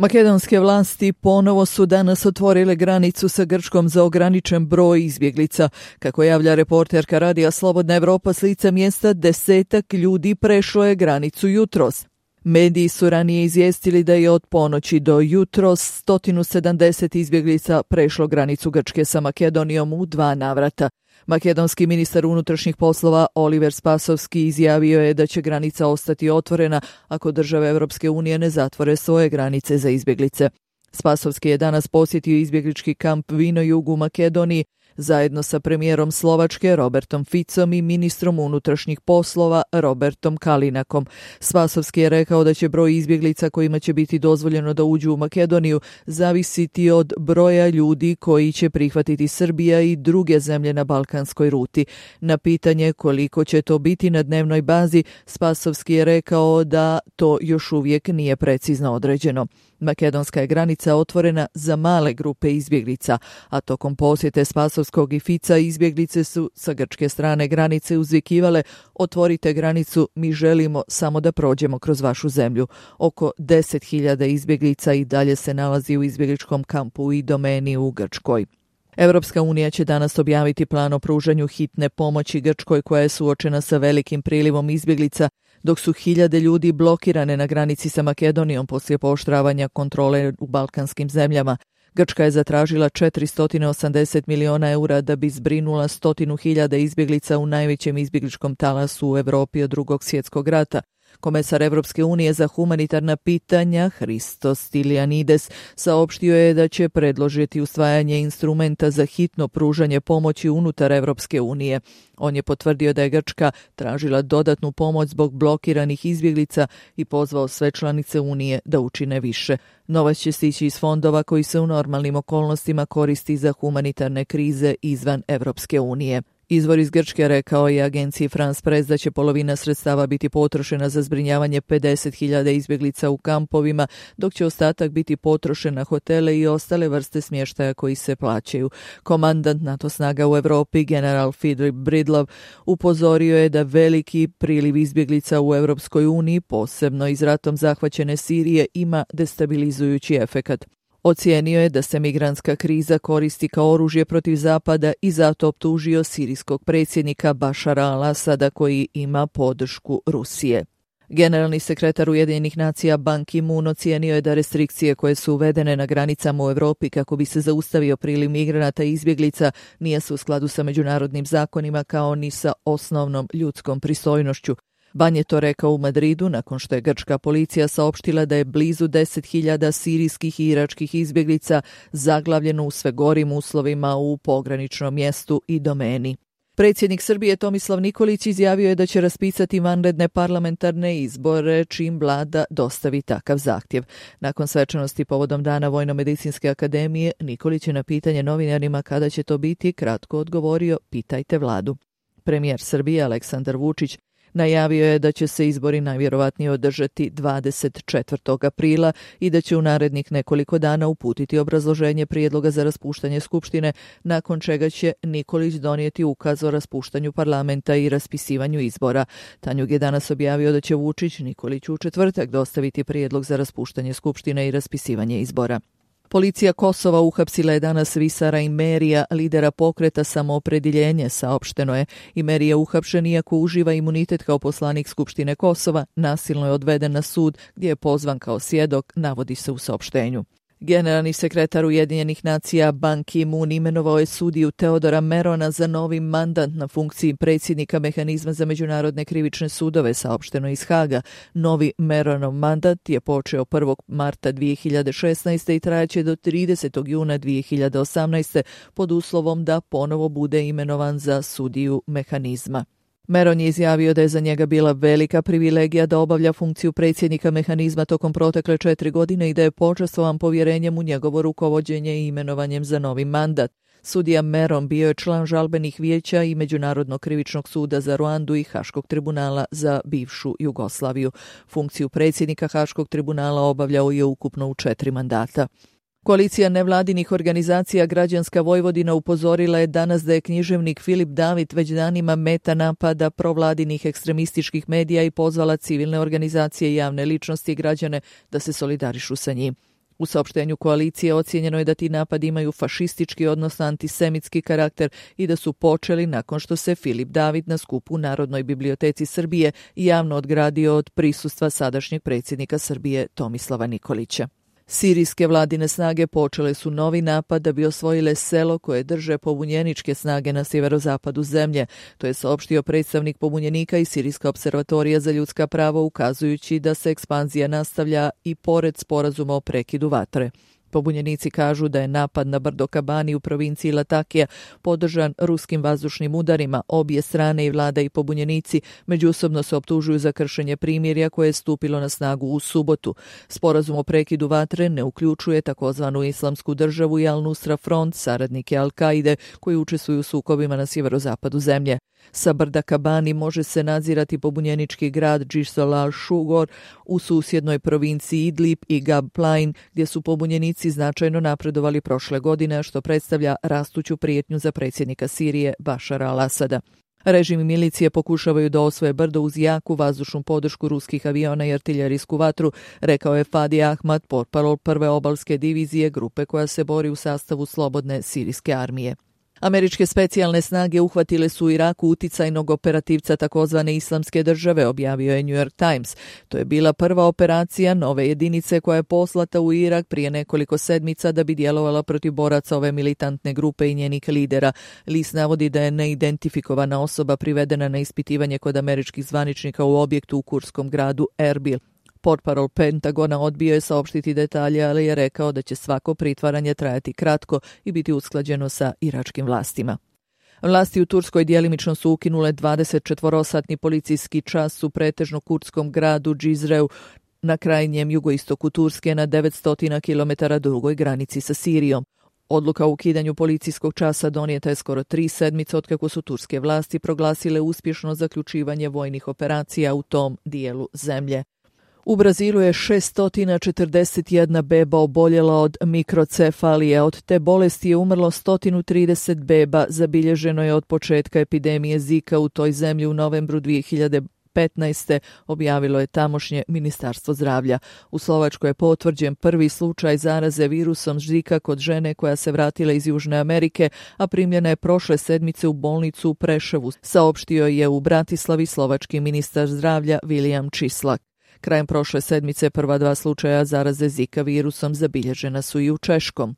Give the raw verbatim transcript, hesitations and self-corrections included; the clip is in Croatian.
Makedonske vlasti ponovo su danas otvorile granicu sa Grčkom za ograničen broj izbjeglica. Kako javlja reporterka radija Slobodna Evropa s lica mjesta, desetak ljudi prešlo je granicu jutros. Mediji su ranije izvijestili da je od ponoći do jutros sto sedamdeset izbjeglica prešlo granicu Grčke sa Makedonijom u dva navrata. Makedonski ministar unutrašnjih poslova Oliver Spasovski izjavio je da će granica ostati otvorena ako države Europske unije ne zatvore svoje granice za izbjeglice. Spasovski je danas posjetio izbjeglički kamp Vinojug u Makedoniji zajedno sa premijerom Slovačke Robertom Ficom i ministrom unutrašnjih poslova Robertom Kalinakom. Spasovski je rekao da će broj izbjeglica kojima će biti dozvoljeno da uđu u Makedoniju zavisiti od broja ljudi koji će prihvatiti Srbija i druge zemlje na balkanskoj ruti. Na pitanje koliko će to biti na dnevnoj bazi, Spasovski je rekao da to još uvijek nije precizno određeno. Makedonska je granica otvorena za male grupe izbjeglica, a tokom posjete Spasovskog i Fica izbjeglice su sa grčke strane granice uzvikivale: otvorite granicu, mi želimo samo da prođemo kroz vašu zemlju. Oko deset hiljada izbjeglica i dalje se nalazi u izbjegličkom kampu i domeni u Grčkoj. Europska unija će danas objaviti plan o pružanju hitne pomoći Grčkoj koja je suočena sa velikim prilivom izbjeglica, dok su hiljade ljudi blokirane na granici sa Makedonijom poslije pooštravanja kontrole u balkanskim zemljama. Grčka je zatražila četiristo osamdeset miliona eura da bi zbrinula stotinu hiljada izbjeglica u najvećem izbjegličkom talasu u Europi od drugog svjetskog rata. Komesar Evropske unije za humanitarna pitanja Hristos Stylianides saopštio je da će predložiti usvajanje instrumenta za hitno pružanje pomoći unutar Evropske unije. On je potvrdio da je Grčka tražila dodatnu pomoć zbog blokiranih izbjeglica i pozvao sve članice Unije da učine više. Novac će stići iz fondova koji se u normalnim okolnostima koristi za humanitarne krize izvan Evropske unije. Izvor iz Grčke rekao je agenciji France Press da će polovina sredstava biti potrošena za zbrinjavanje pedeset hiljada izbjeglica u kampovima, dok će ostatak biti potrošen na hotele i ostale vrste smještaja koji se plaćaju. Komandant NATO snaga u Europi, general Philip Bridlov, upozorio je da veliki priliv izbjeglica u Europskoj uniji, posebno iz ratom zahvaćene Sirije, ima destabilizujući efekat. Ocijenio je da se migrantska kriza koristi kao oružje protiv Zapada i zato optužio sirijskog predsjednika Bašara al-Asada koji ima podršku Rusije. Generalni sekretar Ujedinjenih nacija Ban Ki-moon ocijenio je da restrikcije koje su uvedene na granicama u Europi kako bi se zaustavio priliv migranata i izbjeglica nije su u skladu sa međunarodnim zakonima kao ni sa osnovnom ljudskom pristojnošću. Ban je to rekao u Madridu nakon što je grčka policija saopštila da je blizu deset hiljada sirijskih i iračkih izbjeglica zaglavljeno u sve gorim uslovima u pograničnom mjestu i domeni. Predsjednik Srbije Tomislav Nikolić izjavio je da će raspisati vanredne parlamentarne izbore čim vlada dostavi takav zahtjev. Nakon svečanosti povodom Dana Vojno-medicinske akademije, Nikolić je na pitanje novinarima kada će to biti kratko odgovorio: pitajte vladu. Premijer Srbije Aleksandar Vučić najavio je da će se izbori najvjerovatnije održati dvadeset četvrtog aprila i da će u narednih nekoliko dana uputiti obrazloženje prijedloga za raspuštanje Skupštine, nakon čega će Nikolić donijeti ukaz o raspuštanju parlamenta i raspisivanju izbora. Tanjug je danas objavio da će Vučić Nikoliću u četvrtak dostaviti prijedlog za raspuštanje Skupštine i raspisivanje izbora. Policija Kosova uhapsila je danas Visara Imerija, lidera pokreta Samoopredjeljenje, saopšteno je. Imeri je uhapšen iako uživa imunitet kao poslanik Skupštine Kosova, nasilno je odveden na sud gdje je pozvan kao svjedok, navodi se u saopštenju. Generalni sekretar Ujedinjenih nacija Ban Ki-moon imenovao je sudiju Teodora Merona za novi mandat na funkciji predsjednika Mehanizma za međunarodne krivične sudove, saopšteno iz Haga. Novi Meronov mandat je počeo prvog marta dvije hiljade šesnaeste. i trajaće do tridesetog juna dvije hiljade osamnaeste. pod uslovom da ponovo bude imenovan za sudiju Mehanizma. Meron je izjavio da je za njega bila velika privilegija da obavlja funkciju predsjednika Mehanizma tokom protekle četiri godine i da je počastvovan povjerenjem u njegovo rukovođenje i imenovanjem za novi mandat. Sudija Meron bio je član žalbenih vijeća i Međunarodnog krivičnog suda za Ruandu i Haškog tribunala za bivšu Jugoslaviju. Funkciju predsjednika Haškog tribunala obavljao je ukupno u četiri mandata. Koalicija nevladinih organizacija Građanska Vojvodina upozorila je danas da je književnik Filip David već danima meta napada provladinih ekstremističkih medija i pozvala civilne organizacije i javne ličnosti i građane da se solidarišu sa njim. U saopštenju koalicije ocijenjeno je da ti napadi imaju fašistički, odnosno antisemitski karakter i da su počeli nakon što se Filip David na skupu u Narodnoj biblioteci Srbije javno odgradio od prisustva sadašnjeg predsjednika Srbije Tomislava Nikolića. Sirijske vladine snage počele su novi napad da bi osvojile selo koje drže pobunjeničke snage na sjeverozapadu zemlje. To je saopštio predstavnik pobunjenika i Sirijska observatorija za ljudska prava, ukazujući da se ekspanzija nastavlja i pored sporazuma o prekidu vatre. Pobunjenici kažu da je napad na brdo Kabani u provinciji Latakija podržan ruskim vazdušnim udarima. Obje strane, i vlada i pobunjenici, međusobno se optužuju za kršenje primirja koje je stupilo na snagu u subotu. Sporazum o prekidu vatre ne uključuje takozvanu Islamsku državu i Al-Nusra Front, saradnike Al-Kaide, koji učestvuju u sukobima na sjeverozapadu zemlje. Sa brda Kabani može se nadzirati pobunjenički grad Jisr al-Shugor u susjednoj provinciji Idlib i Gab Plain, gdje su pobunjenici značajno napredovali prošle godine, što predstavlja rastuću prijetnju za predsjednika Sirije Bašara al-Asada. Režim i milicije pokušavaju da osvoje brdo uz jaku vazdušnu podršku ruskih aviona i artiljerijsku vatru, rekao je Fadi Ahmad, portparol prve obalske divizije, grupe koja se bori u sastavu slobodne sirijske armije. Američke specijalne snage uhvatile su u Iraku uticajnog operativca takozvane Islamske države, objavio je New York Times. To je bila prva operacija nove jedinice koja je poslata u Irak prije nekoliko sedmica da bi djelovala protiv boraca ove militantne grupe i njenih lidera. List navodi da je neidentifikovana osoba privedena na ispitivanje kod američkih zvaničnika u objektu u kurskom gradu Erbil. Portparol Pentagona odbio je saopštiti detalje, ali je rekao da će svako pritvaranje trajati kratko i biti usklađeno sa iračkim vlastima. Vlasti u Turskoj djelimično su ukinule dvadesetčetvorosatni policijski čas u pretežno kurdskom gradu Džizreu na krajnjem jugoistoku Turske na devetsto kilometara drugoj granici sa Sirijom. Odluka o ukidanju policijskog časa donijeta je skoro tri sedmice otkako su turske vlasti proglasile uspješno zaključivanje vojnih operacija u tom dijelu zemlje. U Brazilu je šesto četrdeset jedna beba oboljela od mikrocefalije. Od te bolesti je umrlo sto trideset beba. Zabilježeno je od početka epidemije Zika u toj zemlji u novembru dvije hiljade petnaeste. objavilo je tamošnje ministarstvo zdravlja. U Slovačkoj je potvrđen prvi slučaj zaraze virusom Zika kod žene koja se vratila iz Južne Amerike, a primljena je prošle sedmice u bolnicu u Preševu, saopštio je u Bratislavi slovački ministar zdravlja William Čislak. Krajem prošle sedmice prva dva slučaja zaraze Zika virusom zabilježena su i u Češkom.